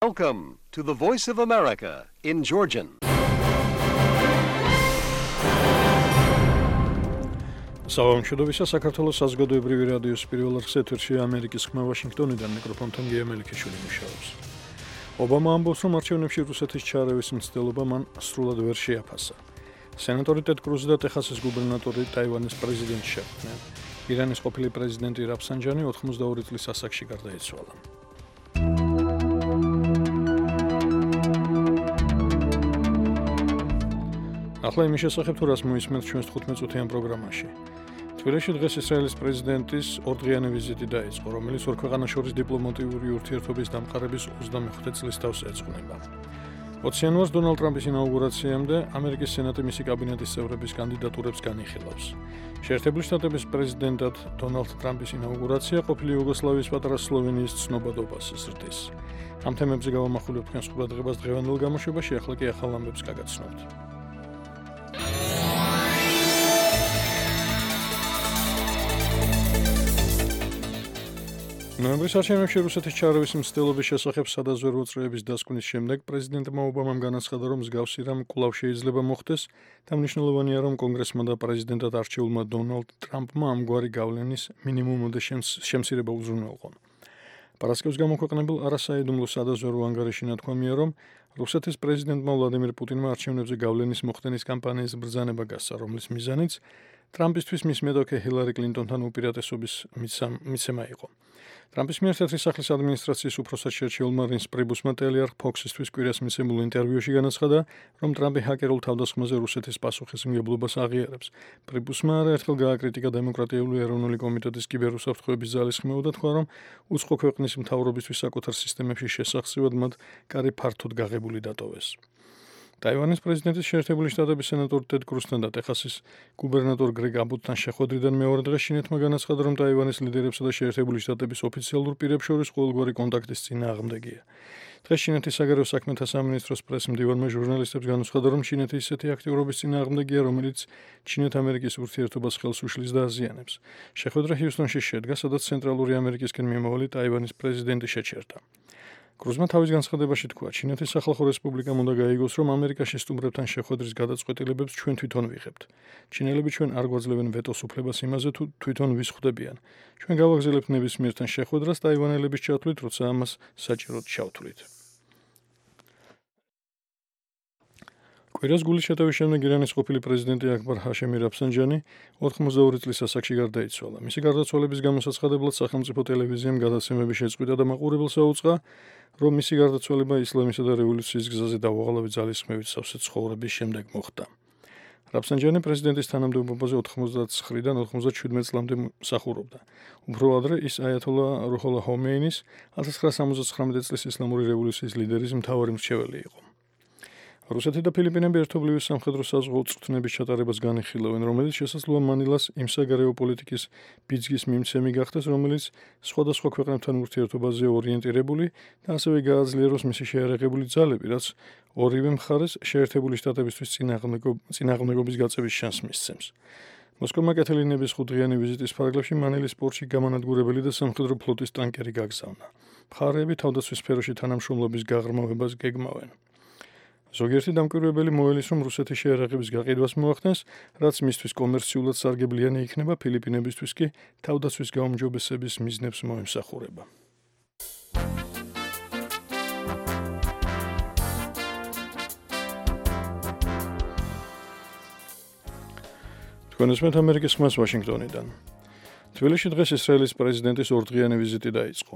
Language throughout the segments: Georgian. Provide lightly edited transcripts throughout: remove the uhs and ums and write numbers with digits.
Welcome to the Voice of America in Georgian. Საუბრობთ საქართველოს საზოგადოებრივი რადიოს პირველ რიგს ეთერში ამერიკის ხმა ვაშინგტონიდან მიკროფონთან გია მელიქიშვილი მუშაობს. ობამა ამბობს, რომ არჩევნებში რუსეთის ჩარევის მცდელობა მან სრულად ვერ შეაფასა. სენატორი ტედ კრუზი და ტეხასის გუბერნატორი ტაივანის პრეზიდენტი შეხვდნენ. ირანის ყოფილი პრეზიდენტი რაფსანჯანი 82 წლის ასაკში გარდაიცვალა. ახლა იმის შესახებ თუ რას მოისმენთ ჩვენს 15-წუთიან პროგრამაში. თბილისში დღეს ისრაელის პრეზიდენტის ორდღიანი ვიზიტი დაიწყო, რომელიც ორ ქვეყანას შორის დიპლომატიური ურთიერთობის დამყარების 25 წლის თავს ეძღვნება. 20 იანვარს დონალდ ტრამპის ინაუგურაციამდე ამერიკის სენატი მისი კაბინეტის წევრების კანდიდატურებს განიხილავს. შეერთებული შტატების პრეზიდენტად დონალდ ტრამპის ინაუგურაცია ყოფილი იუგოსლავიის პატარა სლოვენიის ცნობადობას ზრდის. ამ თემებზე გავამახვილებ თქვენს ყურადღებას დღევანდელ გამოშვებაში, ახლა კი ახალ ამბებს გაგაცნობთ. ნოემბრის არჩევნებში რუსეთის ჩარევის მცდელობის შესახებ სადაზვერვო წრეების დასკვნის შემდეგ პრეზიდენტმა ობამამ განაცხადა, რომ მსგავსი რამ კვლავ შეიძლება მოხდეს და მნიშვნელოვანია, რომ კონგრესმა და პრეზიდენტად არჩეულმა დონალდ ტრამპმა ამგვარი გავლენის მინიმუმამდე შემცირება უზრუნველყონ. პარასკევს გამოქვეყნებულ არასაიდუმლო სადაზვერვო ანგარიში ნათქვამია, რომ რუსეთის პრეზიდენტმა ვლადიმირ პუტინმა არჩევნებზე გავლენის მოხდენის კამპანიის ბრძანება გასცა, რომლის მიზანიც ტრამპისთვის მის მედოქე ჰილარი კლინტონთან უპირატესობის მიცემა იყო. ტრამპის მიერ თეთრი სახლის ადმინისტრაციის უფროსად შერჩეულმა რინს პრიბუსმა ტელეარხ ფოქსისთვის კვირას მიცემულ ინტერვიუში განაცხადა, რომ ტრამპი ჰაკერულ თავდასხმაზე რუსეთის პასუხისმგებლობას აღიარებს. პრიბუსმა არაერთხელ გააკრიტიკა დემოკრატიული ეროვნული კომიტეტის კიბერუსაფრთხოების ძალისხმევა და თქვა, რომ უცხო ქვეყნის მთავრობისთვის საკუთარ სისტემებში შესახსევად მათ კარი ფართოდ გაღებული დატოვეს. ტაივანის პრეზიდენტის შეერთებული შტატების სენატორ ტედ კრუსთან და ტეხასის გუბერნატორ გრეგ აბოტთან შეხვედრიდან მეორე დღეს ჩინეთმა განაცხადა, რომ ტაივანის ლიდერებსა და შეერთებული შტატების ოფიციალურ პირებს შორის ყოველგვარი კონტაქტის წინააღმდეგია. დღეს ჩინეთის საგარეო საქმეთა სამინისტროს პრესმდივანმა ჟურნალისტებს განუცხადა, რომ ჩინეთი ისეთი აქტიურობის წინააღმდეგია, რომელიც ჩინეთ-ამერიკის ურთიერთობას ხელს უშლის და აზიანებს. შეხვედრა ჰიუსტონში შედგა, სადაც ცენტრალური ამერიკისკენ მიმავალი ტაივანის პრეზიდენტი შეჩერდა. კრუზმა თავის განცხადებაში თქვა, ჩინეთის სახალხო რესპუბლიკამ უნდა გაიგოს, რომ ამერიკაში სტუმრებთან შეხვედრის გადაწყვეტილებებს ჩვენ თვითონ ვიღებთ. ჩინელები ჩვენ არ გვაძლევენ ვეტოს უფლებას იმაზე, თუ თვითონ ვის ხვდებიან. ჩვენ გავაგზავნებთ ნებისმიერთან შეხვედრას ტაივანელების ჩათვლით, როცა ამას საჭიროდ ჩავთვლით. კვირას გულის შეტევის შემდეგ ირანის ყოფილი პრეზიდენტი აკბარ ჰაშემი რაფსანჯანი 82 წლის ასაკში გარდაიცვალა. მისი გარდაცვალების გამოსაცხადებლად სახელმწიფო ტელევიზიამ გადაცემები შეწყვიტა და მაყურებელს აუწყა, რომ მისი გარდაცვალება ისლამისა და რევოლუციის გზაზე დაუღალავი ძალისხმევით სავსე ცხოვრების შემდეგ მოხდა. რაფსანჯანი პრეზიდენტის თანამდებობაზე 99-დან 97 წლამდე მსახურობდა. უფრო ადრე ის აიათოლა რუჰოლა ჰომეინის 1979 წლის ისლამური რევოლუციის ლიდერის მთავარი მრჩეველი იყო. რუსეთი და ფილიპინები ერთობლივი სამხედრო საზღვაო წვრთნების ჩატარებას განიხილავენ, რომელიც შესაძლოა მანილას იმ საგარეო პოლიტიკის ბიძგის მიმცემი გახდეს, რომელიც სხვადასხვა ქვეყნებთან ურთიერთობაზე ორიენტირებული და ასევე გააძლიეროს მისი შეიარაღებული ძალები, რაც ორივე მხარეს შეერთებული შტატებისთვის წინააღმდეგობის გაწევის შანსს მისცემს. მოსკოვმა კეთილინების 5-დღიანი ვიზიტის ფარგლებში მანილის პორტში გამანადგურებელი და სამხედრო ფლოტის ტანკერი გაგზავნა. მხარეები თავდაცვის სფეროში თანამშრომლობის გაღრმავებას გეგმავენ. ზოგიერთი დამკვირვებელი მოელის, რომ რუსეთის შეიარაღების გაყიდვას მოახდენს, რაც მისთვის კომერციულად სარგებლიანი იქნება, ფილიპინებისთვის კი თავდაცვის გაუმჯობესების მიზნებს მოემსახურება. თქვენ ესმენთ ამერიკის ხმას ვაშინგტონიდან. თბილისში დღეს ისრაელის პრეზიდენტის ორდღიანი ვიზიტი დაიწყო.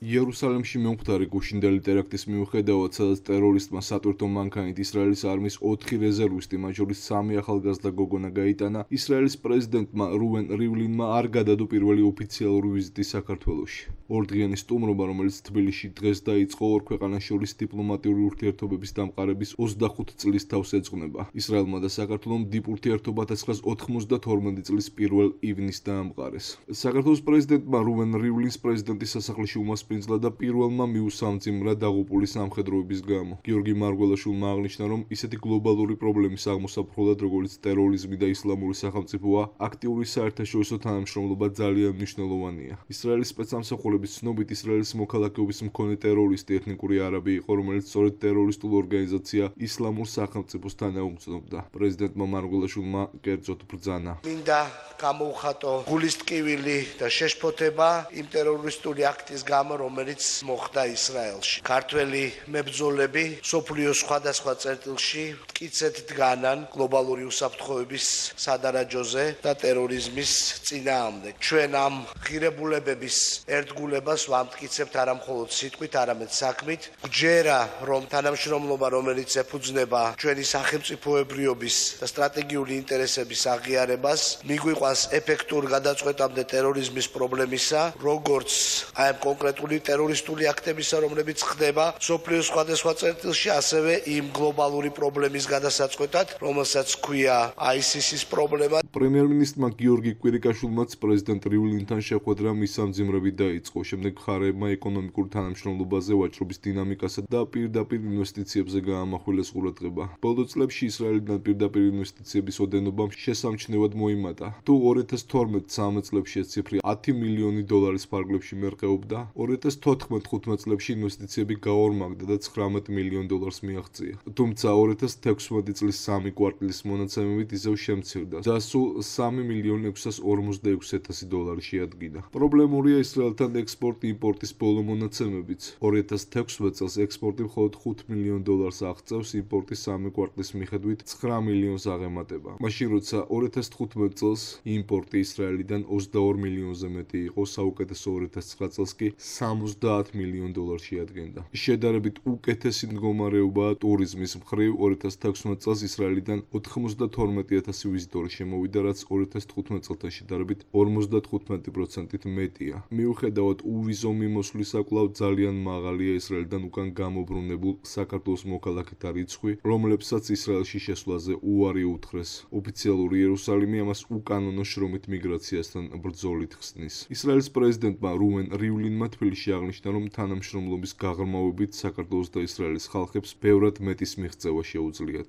იერუსალიმში მომხდარი გუშინდელი ტერაქტის მიუხედავად, სადაც ტერორისტმა სატვირთო მანქანით ისრაელის არმიის 4 რეზერვისტი, მათ შორის 3 ახალგაზრდა გოგონა გაიტანა, ისრაელის პრეზიდენტმა რუვენ რივლინმა არ გადადო პირველი ოფიციალური ვიზიტი საქართველოში. ორდღიანი სტუმრობა, რომელიც თბილისში დღეს დაიწყო, ორ ქვეყანას შორის დიპლომატიური ურთიერთობების დამყარების 25 წლის თავს ეძღვნება. ისრაელმა და საქართველომ დიპ ურთიერთობა 1992 წლის 1 ივნისს დაამყარეს. საქართველოს პრეზიდენტმა რუვენ რივლინს პრეზიდენტის სასახლეში უმასპინძლა დაფარფინძლა და პირველმა მიუსამძიმრა დაღუპული სამხედროების გამო. გიორგი მარგველაშვილმა აღნიშნა, რომ ისეთი გლობალური პრობლემის აღმოსაფრთხებლად, როგორც ტერორიზმი და ისლამური სახელმწიფოა, აქტიური საერთაშორისო თანამშრომლობა ძალიან მნიშვნელოვანია. ისრაელის სპეცსამსახურების ცნობით, ისრაელის მოქალაქეობის მქონე ტერორისტი ეთნიკური არაბი იყო, რომელიც სწორედ ტერორისტულ ორგანიზაცია ისლამურ სახელმწიფოს თანაუგრძნობდა. პრეზიდენტმა მარგველაშვილმა კერძოდ ბრძანა. მინდა გამოუხატო გულის ტკივილი და შეშფოთება იმ ტერორისტული აქტის გამო, რომელიც მოხდა ისრაელში. ქართველი მებრძოლები სოფლიოს სხვადასხვა წერტილში მტკიცედ დგანან გლობალური უსაფრთხოების სადარაჯოზე და ტერორიზმის წინააღმდეგ. ჩვენ ამ ღირებულებების ერთგულებას ვამტკიცებთ არა მხოლოდ სიტყვით, არამედ საქმით. გჯერა, რომ თანამშრომლობა, რომელიც ეფუძნება ჩვენი სახელმწიფოებრიობის და სტრატეგიული ინტერესების აღიარებას, მიგვიყვანს ეფექტურ გადაწყვეტამდე ტერორიზმის პრობლემისა, როგორც აი ამ კონკრეტული ტერორისტული აქტებისა, რომლებიც ხდება სოფლიოს სხვადასხვა წერტილში, ასევე იმ გლობალური პრობლემის გადასაწყვეტად, რომელსაც ჰქვია ISIS-ის პრობლემა. პრემიერ-მინისტრმა გიორგი კვირიკაშვილმაც პრეზიდენტ რივლინთან შეხვედრა მისამძიმრებით დაიწყო. შემდეგ მხარეებმა ეკონომიკურ თანამშრომლობაზე, ვაჭრობის დინამიკასა და პირდაპირ ინვესტიციებზე გაამახვილეს ყურადღება. ბოლო წლებში ისრაელიდან პირდაპირ ინვესტიციების ოდენობამ შესამჩნევად მოიმატა. თუ 2012-13 წლებში ეს ციფრი 10 მილიონი დოლარის ფარგლებში მერყეობდა, 2014-15 წლებში ინვესტიციები გაორმაგდა და 19 მილიონ დოლარს მიაღწია. თუმცა 2016 წლის 3 კვარტლის მონაცემებით ისევ შემცირდა და სულ 3.646.000 დოლარი შეადგინა. პრობლემურია ისრაელთან ექსპორტ-იმპორტის ბოლო მონაცემებიც. 2016 წელს ექსპორტი მხოლოდ 5 მილიონ დოლარს აღწევს, იმპორტი 3 კვარტლის მიხედვით 9 მილიონს აღემატება. მაშინ როცა 2015 წელს იმპორტი ისრაელიდან 22 მილიონზე მეტი იყო, საუკეთესო 2009 წელს კი 70 მილიონ დოლარს შეადგენდა. შედარებით უკეთესი მდგომარეობაა ტურიზმის მხრივ. 2016 წელს ისრაელიდან 92,000 ვიზიტორი შემოვიდა, რაც 2015 წელთან შედარებით 55%-ით მეტია. მიუხედავად უვიზო მიმოსვლისა, კვლავ ძალიან მაღალია ისრაელიდან უკან გამობრუნებულ საქართველოს მოქალაქეთა რიცხვი, რომლებსაც ისრაელში შესვლაზე უარი უთხრეს. ოფიციალური იერუსალიმი ამას უკანონო შრომით მიგრაციასთან ბრძოლით ხსნის. ისრაელის პრეზიდენტმა რუვენ რივლინმა თბილისში აღნიშნა, რომ თანამშრომლობის გაღრმავებით საქართველოს და ისრაელის ხალხებს ბევრად მეტის მიღწევა შეუძლიათ.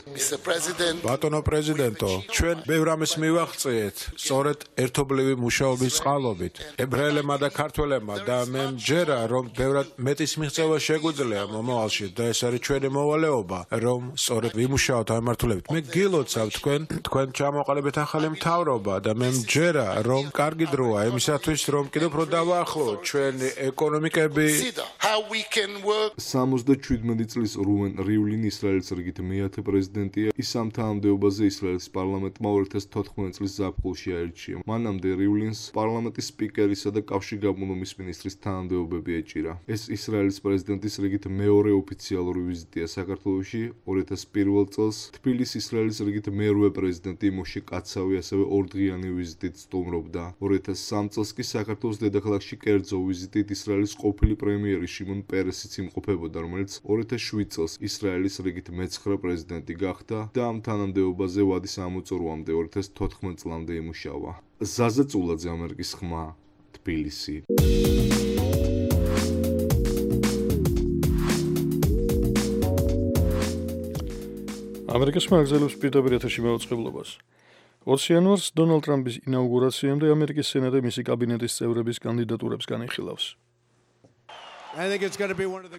ბატონო პრეზიდენტო, ჩვენ ბევრ ამის მივაღწიეთ, სწორედ ერთობლივი მუშაობის წყალობით. ებრაელებმა და ქართველებმა და მე მჯერა, რომ ბევრად მეტის მიღწევა შეგვიძლია მომავალში და ეს არის ჩვენი მოვალეობა, რომ სწორედ ვიმუშაოთ ამ მიმართულებით. მე გილოცავ თქვენ ჩამოყალიბეთ ახალი მთავრობა და მე მჯერა, რომ კარგი დროა იმისათვის, რომ კიდევ უფრო დავაახლოვოთ ჩვენი ეკონომიკები. 77 წლის რუვენ რივლინი ისრაელის რიგით მეათე პრეზიდენტია. ის ამ თანამდებობაზე ისრაელის პარლამენტმა 2014 წლის ზაფხულში აირჩია. მანამდე რივლინს პარლამენტის სპიკერისა და კავშირგაბმულობის მინისტრის თანამდებობები ეჭირა. ეს ისრაელის პრეზიდენტის რიგით მეორე ოფიციალური ვიზიტია საქართველოში. 2001 წელს თბილისის ისრაელის რიგით მერვე პრეზიდენტი მოშე კაცავი ასევე ორდღიანი ვიზიტით სტუმრობდა. 2003 წელს კი საქართველოს დედაქალაქში კერძო ვიზიტით ისრაელის ყოფილი პრემიერი შიმონ პერესიც იმყოფებოდა, რომელიც 2007 წელს ისრაელის რიგით მე-9 პრეზიდენტი გახდა და ამ თანამდებობაზე ვადის ამოწურვამდე 2014 წლამდე იმუშავა. ზაზა წულაძე, ამერიკის ხმა, თბილისი. ამერიკის ხმა აგზელებს პირდაპირ ეთერში მაუწყებლობას. 20 იანვარს დონალდ ტრამპის ინაუგურაციამდე ამერიკის სენატი მისი კაბინეტის წევრების კანდიდატურებს განიხილავს.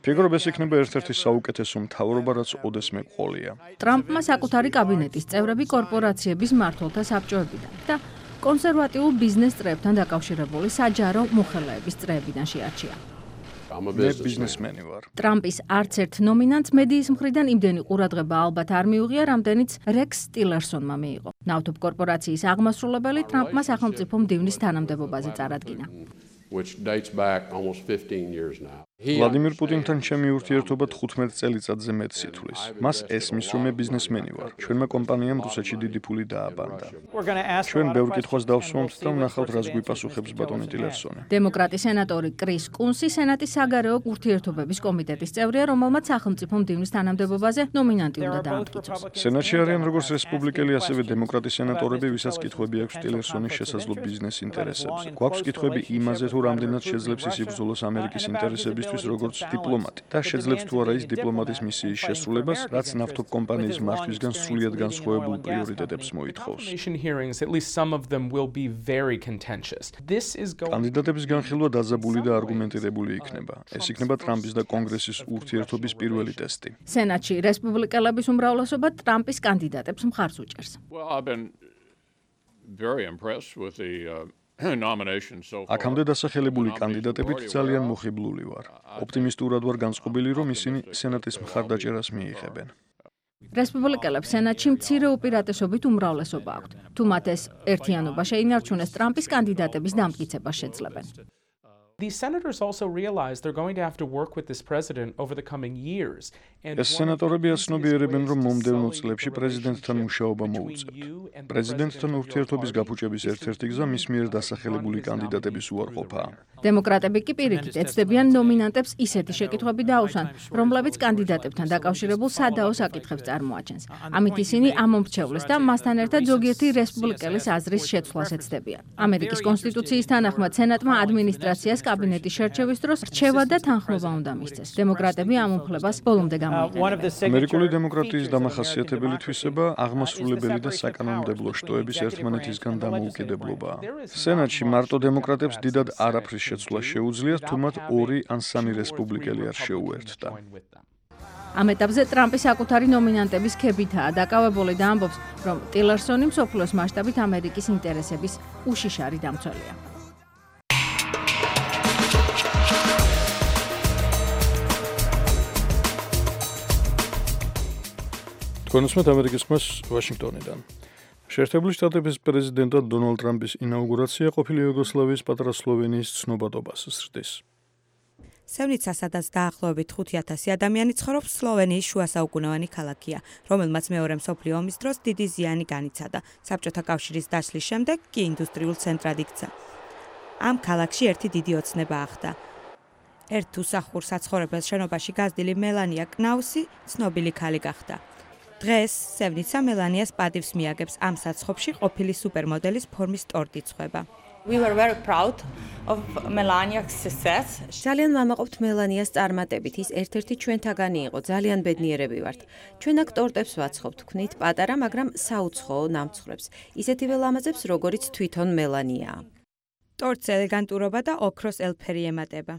ფიგურობ ეს იქნება ერთ-ერთი საუკეთესო მთავრობა, რაც ოდესმე ყოლია. ტრამპმა საკუთარი კაბინეტის წევრები კორპორაციების მმართველთა საბჭოებიდან და კონსერვატიულ ბიზნეს წრეებთან დაკავშირებული საჯარო მოხელეების წრეებიდან შეარჩია. მე ბიზნესმენი ვარ. ტრამპის არც ერთ ნომინანტს მედიის მხრიდან იმდენი ყურადღება ალბათ არ მიუღია, რამდენიც რექს ტილერსონმა მიიღო. ნავთობ კორპორაციის აღმასრულებელი ტრამპმა სახელმწიფო მდივნის თანამდებობაზე წარადგინა. which dates back almost 15 years now. ვლადიმირ პუტინთან ჩემი ურთიერთობა 15 წელიწადზე მეტს ითვლის. მას ესმის, რომ მე ბიზნესმენი ვარ. ჩვენმა კომპანიამ რუსეთში დიდი ფული დააბანდა. ჩვენ ბევრ კითხვას დავსვამთ და ვნახავთ, რას გვიპასუხებს ბატონი ტილერსონი. დემოკრატი სენატორი კრის კუნსი სენატის საგარეო ურთიერთობების კომიტეტის წევრია, რომელმაც სახელმწიფო მდივნის თანამდებობაზე ნომინანტი უნდა დაამტკიცოს. სენატში არიან როგორც რესპუბლიკელი, ასევე დემოკრატი სენატორები, ვისაც კითხვები აქვს ტილერსონის შესაძლო ბიზნეს ინტერესებზე. გვაქვს კითხვები იმაზე, თუ რამდენად შეძლებს ის იბრძოლოს ამერიკის ინტერესებისთვის, როგორც დიპლომატი და შეძლებს თუ არა ის დიპლომატის მისიის შესრულებას, რაც ნავთობ კომპანიის მართვისგან სრულიად განსხვავებულ პრიორიტეტებს მოითხოვს. კანდიდატების განხილვა დაძაბული და არგუმენტირებული იქნება. ეს იქნება ტრამპის და კონგრესის ურთიერთობის პირველი ტესტი. სენატში რესპუბლიკელების უმრავლესობა ტრამპის კანდიდატებს მხარს უჭერს. აქამდე დასახელებული კანდიდატებით ძალიან მოხიბლული ვარ. ოპტიმისტურად ვარ განწყობილი, რომ ისინი სენატის მხარდაჭერას მიიღებენ. რესპუბლიკელებს სენატში მცირე უპირატესობით უმრავლესობა აქვთ. თუ მათ ეს ერთიანობა შეინარჩუნეს, ტრამპის კანდიდატების დამტკიცებას შეძლებენ. These senators also realize they're going to have to work with this president over the coming years. ეს სენატორები აცნობიერებენ, რომ მომდევნო წლებში პრეზიდენტთან მუშაობა მოუწევთ. პრეზიდენტთან ურთიერთობის გაფუჭების ერთ-ერთი გზა მის მიერ დასახელებული კანდიდატების უარყოფაა. დემოკრატები კი პირიქით ეცდებიან ნომინანტებს ისეთი შეკითხვები დაუსვან, რომლებიც კანდიდატებთან დაკავშირებულ სადაო საკითხებს წარმოაჩენს. ამით ისინი ამომრჩევლეს და მასთან ერთად ზოგიერთი რესპუბლიკელის აზრის შეცვლას ეცდებიან. ამერიკის კონსტიტუციის თანახმად სენატმა ადმინისტრაციას კაბინეტის შერჩევის დროს რჩევა და თანხმობა უნდა მისცეს. დემოკრატები ამ უფლებას ბოლომდე გამოიყენებენ. ამერიკული დემოკრატიის დამახასიათებელი თვისება აღმასრულებელი და საკანონმდებლო შტოების ერთმანეთისგან დამოუკიდებლობაა. სენატში მარტო დემოკრატებს დიდად არაფრის შეცვლა შეუძლიათ, თუ მათ 2 ან 3 რესპუბლიკელი არ შეუერთდა. ამ ეტაპზე ტრამპი საკუთარი ნომინანტების ქებითაა დაკავებული და ამბობს, რომ ტილერსონი მსოფლიოს მასშტაბით ამერიკის ინტერესების უშიშარი დამცველია. თქვენს ამერიკის ხმას ვაშინგტონიდან. შეერთებული შტატების პრეზიდენტად დონალდ ტრამპის ინაუგურაცია ყოფილი იუგოსლავიის პატარა სლოვენიის ცნობადობას ზრდის. სევნიცა, სადაც დაახლოებით 5,000 ადამიანი ცხოვრობს, სლოვენიის შუასაუკუნოვანი ქალაქია, რომელმაც მეორე მსოფლიო ომის დროს დიდი ზიანი განიცადა. საბჭოთა კავშირის დაშლის შემდეგ კი ინდუსტრიულ ცენტრად იქცა. ამ ქალაქში ერთი დიდი ოცნება ახდა. ერთ უსახურ საცხოვრებელ შენობაში გაზრდილი მელანია კნაუსი ცნობილი ქალი გახდა. დღეს სევნიცა მელანიას პატივს მიაგებს, ამ საცხობში ყოფილი სუპერმოდელის ფორმის ტორტი ცხება. ძალიან ვამაყობთ მელანიას წარმატებით, ის ერთ-ერთი ჩვენთაგანი იყო, ძალიან ბედნიერები ვართ. ჩვენ აქ ტორტებს ვაცხობთ, ვქნით პატარა, მაგრამ საუცხოო ნამცხრებს, ისეთივე ლამაზებს, როგორიც თვითონ მელანიაა. ტორტს ელეგანტურობა და ოქროს ელფერი ემატება.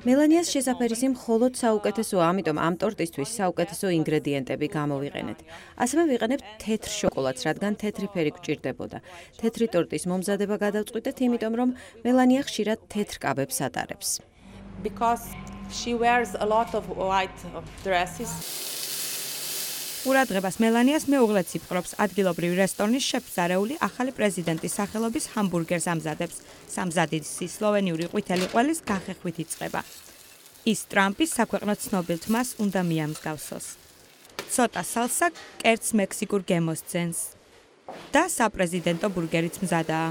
მელანიას შესაფერისი მხოლოდ საუკეთესოა, ამიტომ ამ ტორტისთვის საუკეთესო ინგრედიენტები გამოვიყენეთ. ასევე ვიყენებთ თეთრ შოკოლადს, რადგან თეთრი ფერი გვჭირდებოდა. თეთრი ტორტის მომზადება გადავწყვიტეთ, იმიტომ რომ მელანია ხშირად თეთრ კაბებს ატარებს. ყურადღებას მელანიას მეუღლეც იპყრობს. ადგილობრივი რესტორნის შეფს არეული ახალი პრეზიდენტის სახელობის ჰამბურგერს ამზადებს. სამზადისი სლოვენიური ყვითელი ყველის გახეხვით იწყება. ის ტრამპის საქვეყნო ცნობილ თმას უნდა მიამსგავსოს. ცოტა სალსა კერძს მექსიკურ გემოს ძენს და საპრეზიდენტო ბურგერიც მზადაა.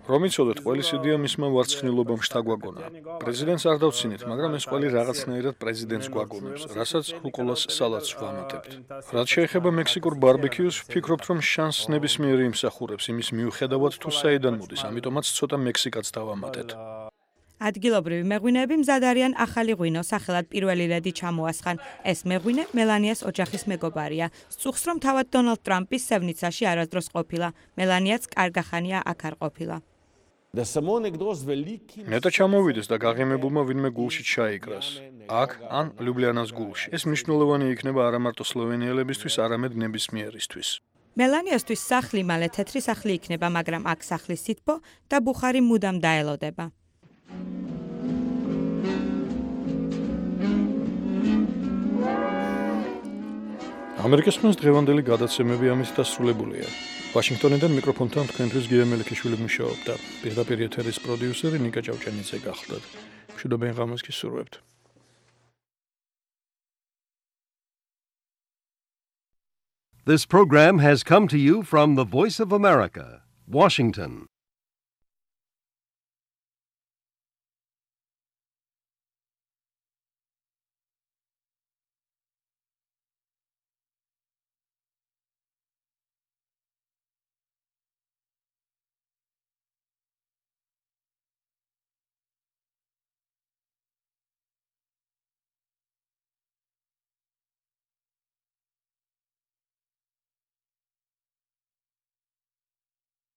რომ იცოდეთ, ყველის იდეა მისმა ვარცხნილობამ შთაგვაგონა. პრეზიდენტს არ დავცინეთ, მაგრამ ეს ყველი რაღაცნაირად პრეზიდენტს გვაგონებს, რასაც რუკოლას სალატს ვამატებთ. რაც შეეხება მექსიკურ ბარბეკიუს, ვფიქრობთ, რომ შანსს ნებისმიერი იმსახურებს, იმის მიუხედავად თუ საიდან მოდის, ამიტომაც ცოტა მექსიკაც დავამატეთ. ადგილობრივი მეღვინეები მზად არიან ახალი ღვინო, სახელად პირველი ლედი ჩამოასხან. ეს მეღვინე მელანიას ოჯახის მეგობარია. სწუხს, რომ თავად დონალდ ტრამპის სევნიცაში არასდროს ყოფილა. მელანიაც კარგახანია აქ არ ყოფილა. ნეტა ჩამოვიდეს და გაღიმებულმა ვინმე გულში ჩაიკრას. აქ ან ლიუბლიანას გულში. ეს მნიშვნელოვანი იქნება არა მარტო სლოვენიელებისთვის, არამედ ნებისმიერისთვის. მელანიასთვის სახლი მალე თეთრი სახლი იქნება, მაგრამ აქ სახლის სითბო და ბუხარი მუდამ დაელოდება. ამერიკის ხმას დღევანდელი გადაცემები ამით დასრულებულია. ვაშინგტონიდან მიკროფონთან თქვენთვის გია მელიქიშვილი მუშაობდა. პირდაპირ ეთერის პროდიუსერი ნიკა ჭავჭანიძე გახლდათ. მშვიდობიან ღამეს გისურვებთ. This program has come to you from the Voice of America, Washington.